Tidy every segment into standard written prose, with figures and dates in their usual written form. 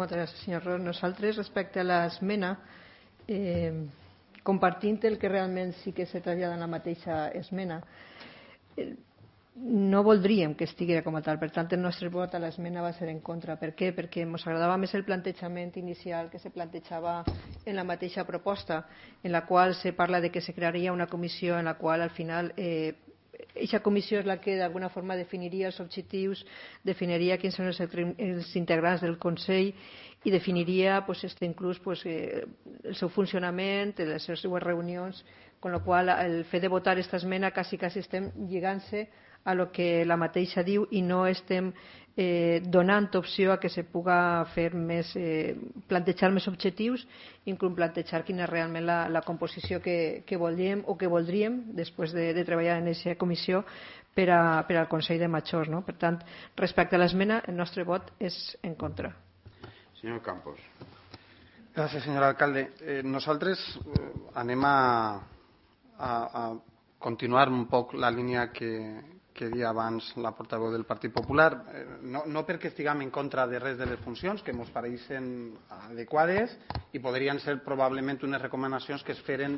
Moltes gràcies, senyor Ros. Nosaltres, respecte a l'esmena, compartint el que realment sí que se trasllada en la mateixa esmena, no voldríem que estigués com a tal. Per tant, el nostre vot a l'esmena va ser en contra. Per què? Perquè ens agradava més el plantejament inicial que se plantejava en la mateixa proposta, en la qual se parla de que se crearia una comissió en la qual al final aquesta comissió és la que d'alguna forma definiria els objectius, definiria quins són els integrants del Consell i definiria inclús el seu funcionament, les seues reunions, amb la qual cosa el fet de votar aquesta esmena quasi estem lligant-se a lo que la mateixa diu i no estem donant opció a que se puga fer més, plantejar més objectius, inclús plantejar quina és realment la composició que volíem o que voldríem després de treballar en aquesta comissió per al Consell de Majors, no? Per tant, respecte a l'esmena, el nostre vot és en contra. Senyor Campos. Gràcies, senyor alcalde. Nosaltres anem a continuar un poc la línia que deia abans la portaveu del Partit Popular, no perquè estiguem en contra de res de les funcions, que ens pareixen adequades i podrien ser probablement unes recomanacions que es feren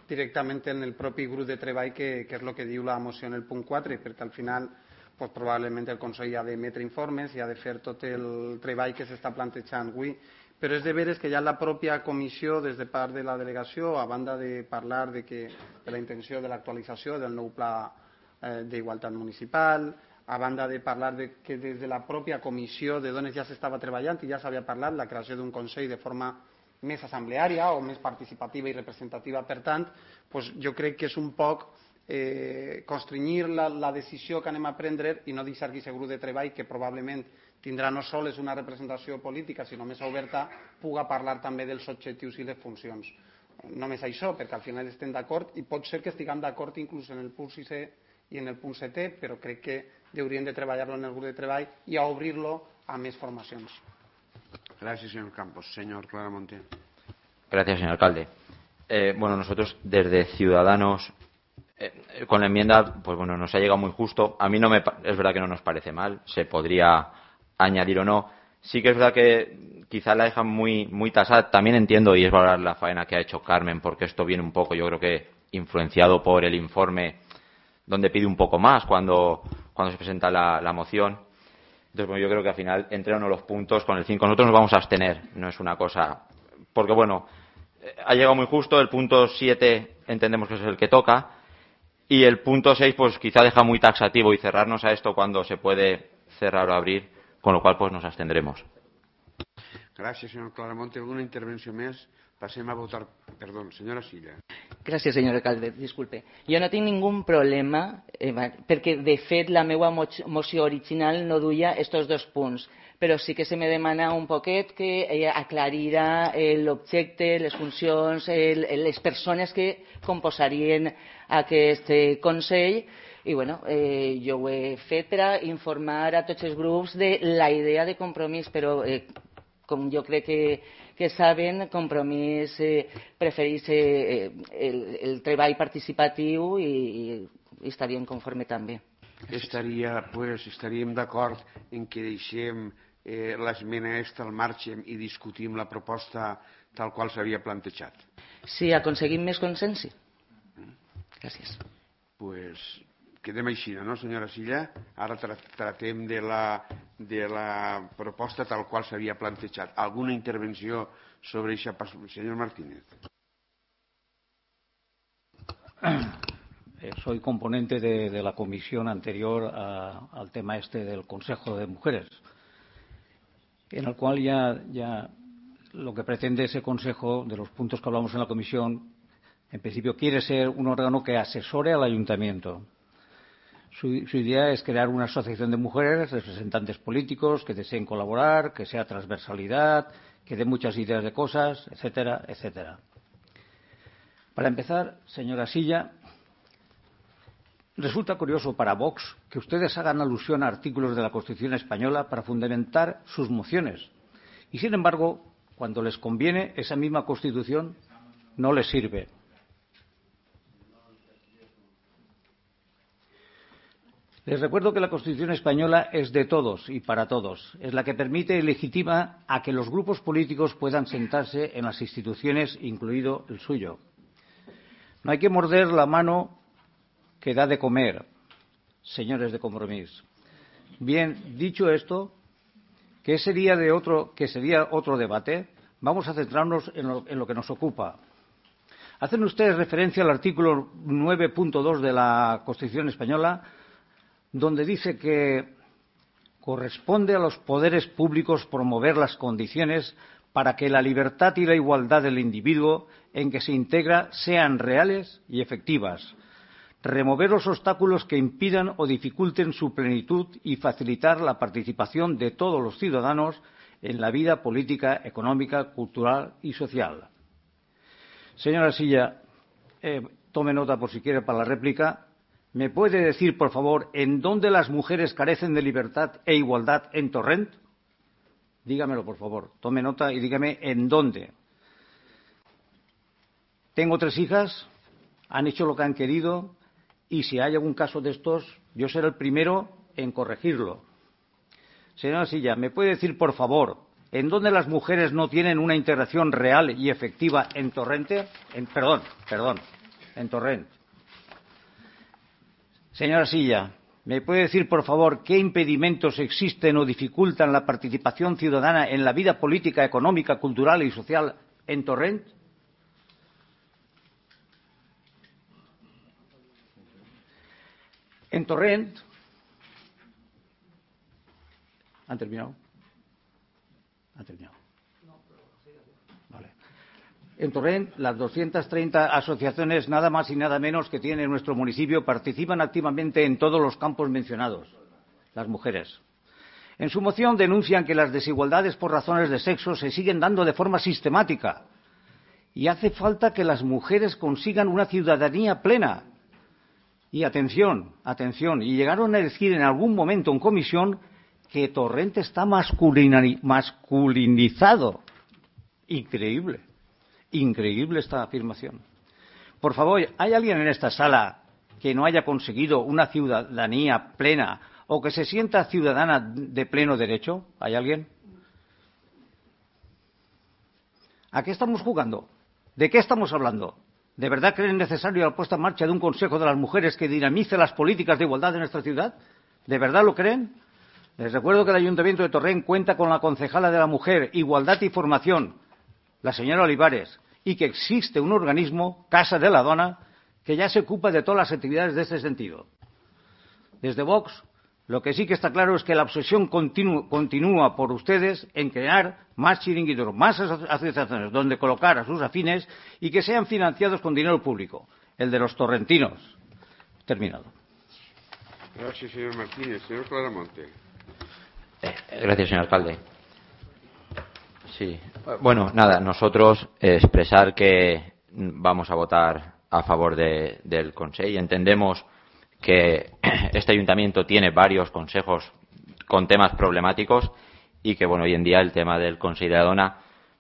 directament en el propi grup de treball, que és el que diu la moció en el punt 4, perquè al final probablement el Consell ha d'emetre informes i ha de fer tot el treball que s'està plantejant avui. Però és de veres que ja la pròpia comissió, des de part de la delegació, a banda de parlar de la intenció de l'actualització del nou pla d'igualtat municipal, a banda de parlar que des de la pròpia comissió de dones ja s'estava treballant i ja s'havia parlat la creació d'un Consell de forma més assembleària o més participativa i representativa. Per tant, jo crec que és un poc constrenyir la decisió que anem a prendre i no deixar aquest grup de treball, que probablement tindrà no sols una representació política, sinó més oberta, puga parlar també dels objectius i les funcions. Només això, perquè al final estem d'acord i pot ser que estiguem d'acord inclús en el punt 6è i en el punt 7è, però crec que hauríem de treballar-lo en el grup de treball i a obrir-lo a més formacions. Gracias, señor Campos. Señor Claramonte. Gracias, señor alcalde. Nosotros desde Ciudadanos, con la enmienda, nos ha llegado muy justo. A mí es verdad que no nos parece mal, se podría añadir o no. Sí que es verdad que quizá la dejan muy tasada. También entiendo y es valorar la faena que ha hecho Carmen, porque esto viene un poco, yo creo que influenciado por el informe donde pide un poco más cuando se presenta la moción. Entonces, yo creo que al final, entre uno los puntos, con el 5 nosotros nos vamos a abstener. No es una cosa... Porque, ha llegado muy justo. El punto 7 entendemos que es el que toca. Y el punto 6, quizá deja muy taxativo y cerrarnos a esto cuando se puede cerrar o abrir, con lo cual, nos abstendremos. Gracias, señor Claramonte. ¿Alguna intervención más? Pasemos a votar. Perdón, señora Silla. Gràcies, senyor alcalde. Disculpe. Jo no tinc ningú problema, perquè, de fet, la meva moció original no duia estos dos punts, però sí que se me demana un poquet que aclarirà l'objecte, les funcions, les persones que composarien aquest Consell. I, jo ho he fet per a informar a tots els grups de la idea de Compromís, però com jo crec que saben, Compromís prefereix el treball participatiu i estaríem conforme també. Estaríem d'acord en que deixem l'esmena aquesta al marge i discutim la proposta tal qual s'havia plantejat. Si aconseguim més consens, sí. Gràcies. Quedem així, no, senyora Silla? Ara tratem de la proposta tal qual s'havia plantejat. Alguna intervenció sobre això? Senyor Martínez. Soy componente de la comisión anterior al tema del Consejo de Mujeres, en el cual ya lo que pretende ese Consejo, de los puntos que hablamos en la comisión, en principio quiere ser un órgano que asesore al ayuntamiento. Su idea es crear una asociación de mujeres, representantes políticos que deseen colaborar, que sea transversalidad, que dé muchas ideas de cosas, etcétera, etcétera. Para empezar, señora Silla, resulta curioso para Vox que ustedes hagan alusión a artículos de la Constitución española para fundamentar sus mociones. Y, sin embargo, cuando les conviene, esa misma Constitución no les sirve. Les recuerdo que la Constitución española es de todos y para todos. Es la que permite y legitima a que los grupos políticos puedan sentarse en las instituciones, incluido el suyo. No hay que morder la mano que da de comer, señores de Compromís. Bien, dicho esto, que sería otro debate, vamos a centrarnos en lo que nos ocupa. Hacen ustedes referencia al artículo 9.2 de la Constitución española, donde dice que corresponde a los poderes públicos promover las condiciones para que la libertad y la igualdad del individuo en que se integra sean reales y efectivas, remover los obstáculos que impidan o dificulten su plenitud y facilitar la participación de todos los ciudadanos en la vida política, económica, cultural y social. Señora Silla, tome nota por si quiere para la réplica. ¿Me puede decir, por favor, en dónde las mujeres carecen de libertad e igualdad en Torrent? Dígamelo, por favor. Tome nota y dígame en dónde. Tengo 3 hijas, han hecho lo que han querido y si hay algún caso de estos, yo seré el primero en corregirlo. Señora Silla, ¿me puede decir, por favor, en dónde las mujeres no tienen una integración real y efectiva en Torrent? En Torrent. Señora Silla, ¿me puede decir, por favor, qué impedimentos existen o dificultan la participación ciudadana en la vida política, económica, cultural y social en Torrent? En Torrent. ¿Han terminado? ¿Han terminado? Vale. En Torrent, las 230 asociaciones, nada más y nada menos que tiene nuestro municipio, participan activamente en todos los campos mencionados, las mujeres. En su moción denuncian que las desigualdades por razones de sexo se siguen dando de forma sistemática y hace falta que las mujeres consigan una ciudadanía plena. Y atención, y llegaron a decir en algún momento en comisión que Torrent está masculinizado. Increíble esta afirmación. Por favor, ¿hay alguien en esta sala que no haya conseguido una ciudadanía plena o que se sienta ciudadana de pleno derecho? ¿Hay alguien? ¿A qué estamos jugando? ¿De qué estamos hablando? ¿De verdad creen necesario la puesta en marcha de un Consejo de las Mujeres que dinamice las políticas de igualdad de nuestra ciudad? ¿De verdad lo creen? Les recuerdo que el Ayuntamiento de Torrent cuenta con la concejala de la Mujer, Igualdad y Formación, la señora Olivares, y que existe un organismo, Casa de la Dona, que ya se ocupa de todas las actividades de ese sentido. Desde Vox, lo que sí que está claro es que la obsesión continúa por ustedes en crear más chiringuitos, más asociaciones donde colocar a sus afines y que sean financiados con dinero público, el de los torrentinos. Terminado. Gracias, señor Martínez. Señor Claramonte. Gracias, señor alcalde. Sí. Bueno, nada, nosotros expresar que vamos a votar a favor del Consell. Entendemos que este ayuntamiento tiene varios consejos con temas problemáticos y que, bueno, hoy en día el tema del Consell de la Dona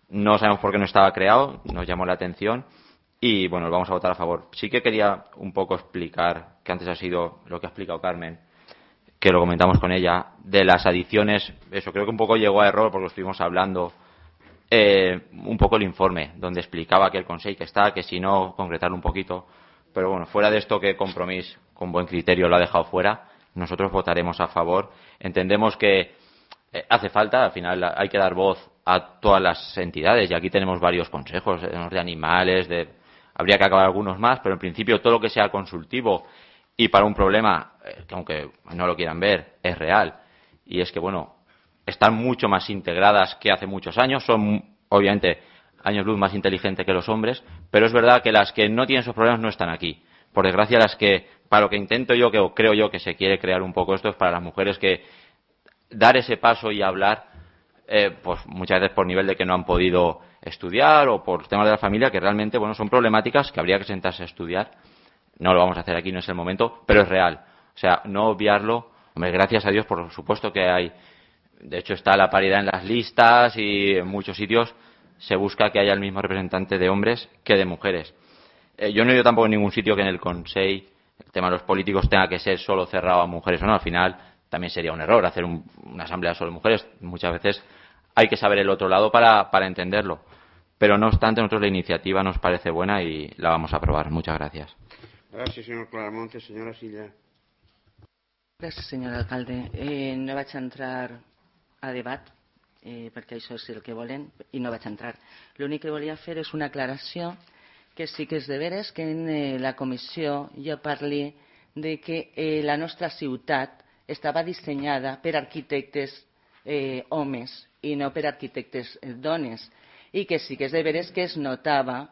no sabemos por qué no estaba creado, nos llamó la atención y, bueno, vamos a votar a favor. Sí que quería un poco explicar, que antes ha sido lo que ha explicado Carmen, que lo comentamos con ella, de las adiciones. Eso creo que un poco llegó a error porque lo estuvimos hablando un poco el informe, donde explicaba que el Consell que está, que si no, concretarlo un poquito. Pero bueno, fuera de esto, que Compromís con buen criterio lo ha dejado fuera, nosotros votaremos a favor. Entendemos que hace falta, al final hay que dar voz a todas las entidades y aquí tenemos varios consejos, de animales, habría que acabar algunos más, pero en principio todo lo que sea consultivo y para un problema que aunque no lo quieran ver es real, y es que, bueno, están mucho más integradas que hace muchos años, son obviamente años luz más inteligentes que los hombres, pero es verdad que las que no tienen esos problemas no están aquí. Por desgracia, las que, para lo que intento yo, o creo yo que se quiere crear un poco esto, es para las mujeres que dar ese paso y hablar, pues muchas veces por nivel de que no han podido estudiar o por temas de la familia, que realmente, bueno, son problemáticas que habría que sentarse a estudiar. No lo vamos a hacer aquí, no es el momento, pero es real. O sea, no obviarlo. Hombre, gracias a Dios, por supuesto que hay. De hecho, está la paridad en las listas y en muchos sitios se busca que haya el mismo representante de hombres que de mujeres. Yo no he ido tampoco en ningún sitio que en el Consell tema de los políticos tenga que ser solo cerrado a mujeres o no. Al final también sería un error hacer una asamblea solo de mujeres. Muchas veces hay que saber el otro lado para entenderlo. Pero no obstante, a nosotros la iniciativa nos parece buena y la vamos a aprobar. Muchas gracias. Gracias, señor Claramonte. Señora Silla. Gràcies, senyor alcalde. No vaig entrar a debat, perquè això és el que volen, i no vaig entrar. L'únic que volia fer és una aclaració que sí que és de veres que en la comissió jo parli de que la nostra ciutat estava dissenyada per arquitectes homes i no per arquitectes dones, i que sí que és de veres que es notava,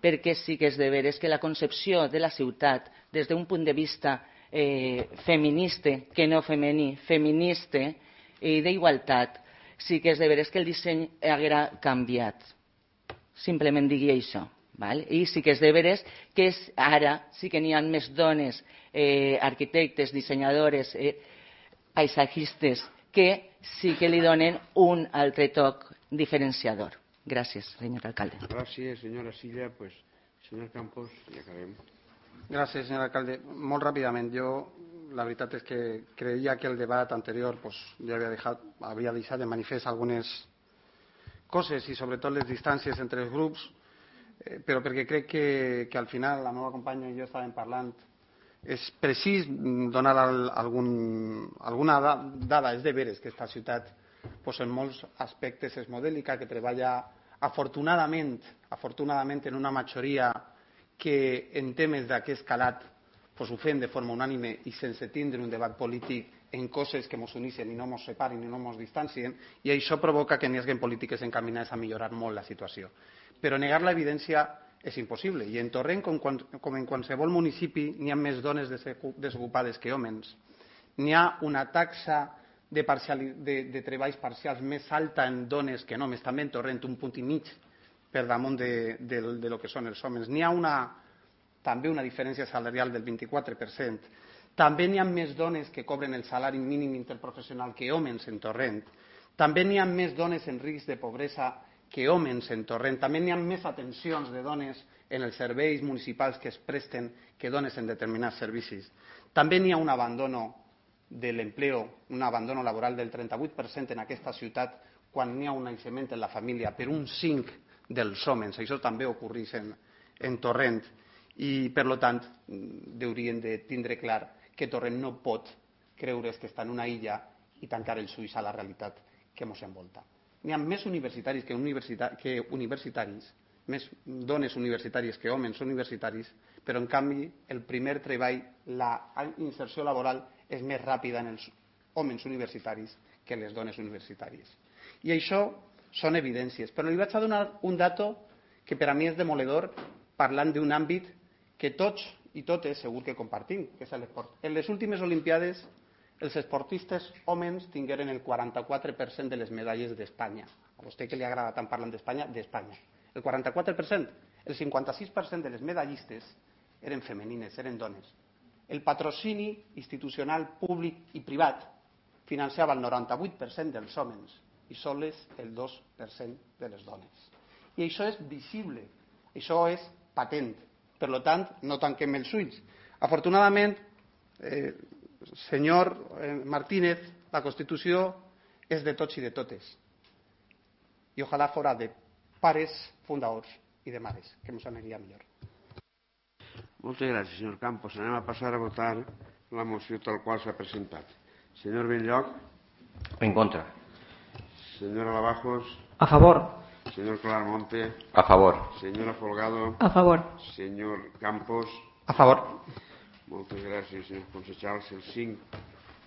perquè sí que és de veres que la concepció de la ciutat des d'un punt de vista feminista, que no femení, feminista i d'igualtat, sí que és de veres que el disseny haguera canviat. Simplement digui això. Val? I sí que és de veres que ara sí que n'hi ha més dones arquitectes, dissenyadores, paisatgistes, que sí que li donen un altre toc diferenciador. Gràcies, senyor alcalde. Gràcies, senyora Silla. Pues, senyor Campos, ja acabem. Gràcies, senyor alcalde. Molt ràpidament, jo la veritat és que creia que el debat anterior pues, ja havia deixat de manifest algunes coses i sobretot les distàncies entre els grups, però perquè crec que al final la meva companya i jo estàvem parlant, és precís donar alguna dada. És de veres que aquesta ciutat pues, en molts aspectes és modèlica, que treballa afortunadament en una majoria que en temes d'aquest calat pues, ho fem de forma unànime i sense tindre un debat polític en coses que ens uneixen i no ens separen i no ens distancien, i això provoca que n'hi hagi polítiques encaminades a millorar molt la situació. Però negar l'evidència és impossible, i en Torrent, com en qualsevol municipi, n'hi ha més dones desocupades que homes. N'hi ha una taxa de treballs parcials més alta en dones que en homes, també en Torrent, un punt i mig per damunt de lo que són els homes. N'hi ha també una diferència salarial del 24%. També n'hi ha més dones que cobren el salari mínim interprofessional que homes en Torrent. També n'hi ha més dones en risc de pobresa que homes en Torrent. També n'hi ha més atencions de dones en els serveis municipals que es presten que dones en determinats servicis. També n'hi ha un abandono de l'empleo, un abandono laboral del 38% en aquesta ciutat quan n'hi ha un naixement en la família per un 5% dels homes. Això també ocorreix en Torrent i, per tant, hauríem de tindre clar que Torrent no pot creure's que està en una illa i tancar els ulls a la realitat que ens envolta. N'hi ha més universitaris que universitaris, més dones universitàries que homes universitaris, però en canvi el primer treball, la inserció laboral és més ràpida en els homes universitaris que les dones universitàries. I això són evidències, però li vaig a donar un dato que per a mi és demoledor, parlant d'un àmbit que tots i totes segur que compartim, que és l'esport. En les últimes Olimpiades, els esportistes homes tingueren el 44% de les medalles d'Espanya. A vostè que li agrada tant parlar d'Espanya, d'Espanya. El 44%. El 56% de les medallistes eren femenines, eren dones. El patrocini institucional públic i privat financiava el 98% dels homes i sols el 2% de les dones. I això és visible, això és patent. Per tant, no tanquem els ulls. Afortunadament, senyor Martínez, la Constitució és de tots i de totes. I ojalà fora de pares fundadors i de mares, que ens aniria millor. Moltes gràcies, senyor Campos. Anem a passar a votar la moció tal qual s'ha presentat. Senyor Benlloc. En contra. Señora Lavajos. A favor. Señor Claramonte. A favor. Señora Folgado. A favor. Señor Campos. A favor. Moltes gràcies, senyor Consejals. El 5